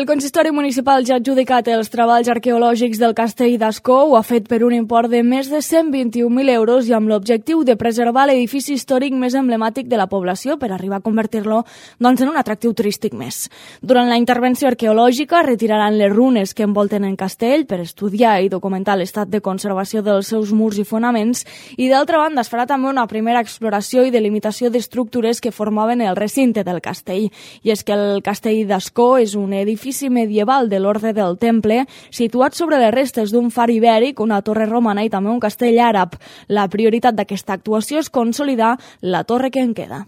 El consistori municipal ja ha adjudicat els treballs arqueològics del castell d'Ascó, ho ha fet per un import de més de 121.000 euros i amb l'objectiu de preservar l'edifici històric més emblemàtic de la població per arribar a convertir-lo en un atractiu turístic més. Durant la intervenció arqueològica retiraran les runes que envolten el castell per estudiar i documentar l'estat de conservació dels seus murs i fonaments i d'altra banda es farà també una primera exploració i delimitació d'estructures que formaven el recinte del castell. I és que el castell d'Ascó és un edifici medieval de l'Orde del Temple, situat sobre les restes d'un far ibèric, una torre romana i també un castell àrab. La prioritat d'aquesta actuació és consolidar la torre que en queda.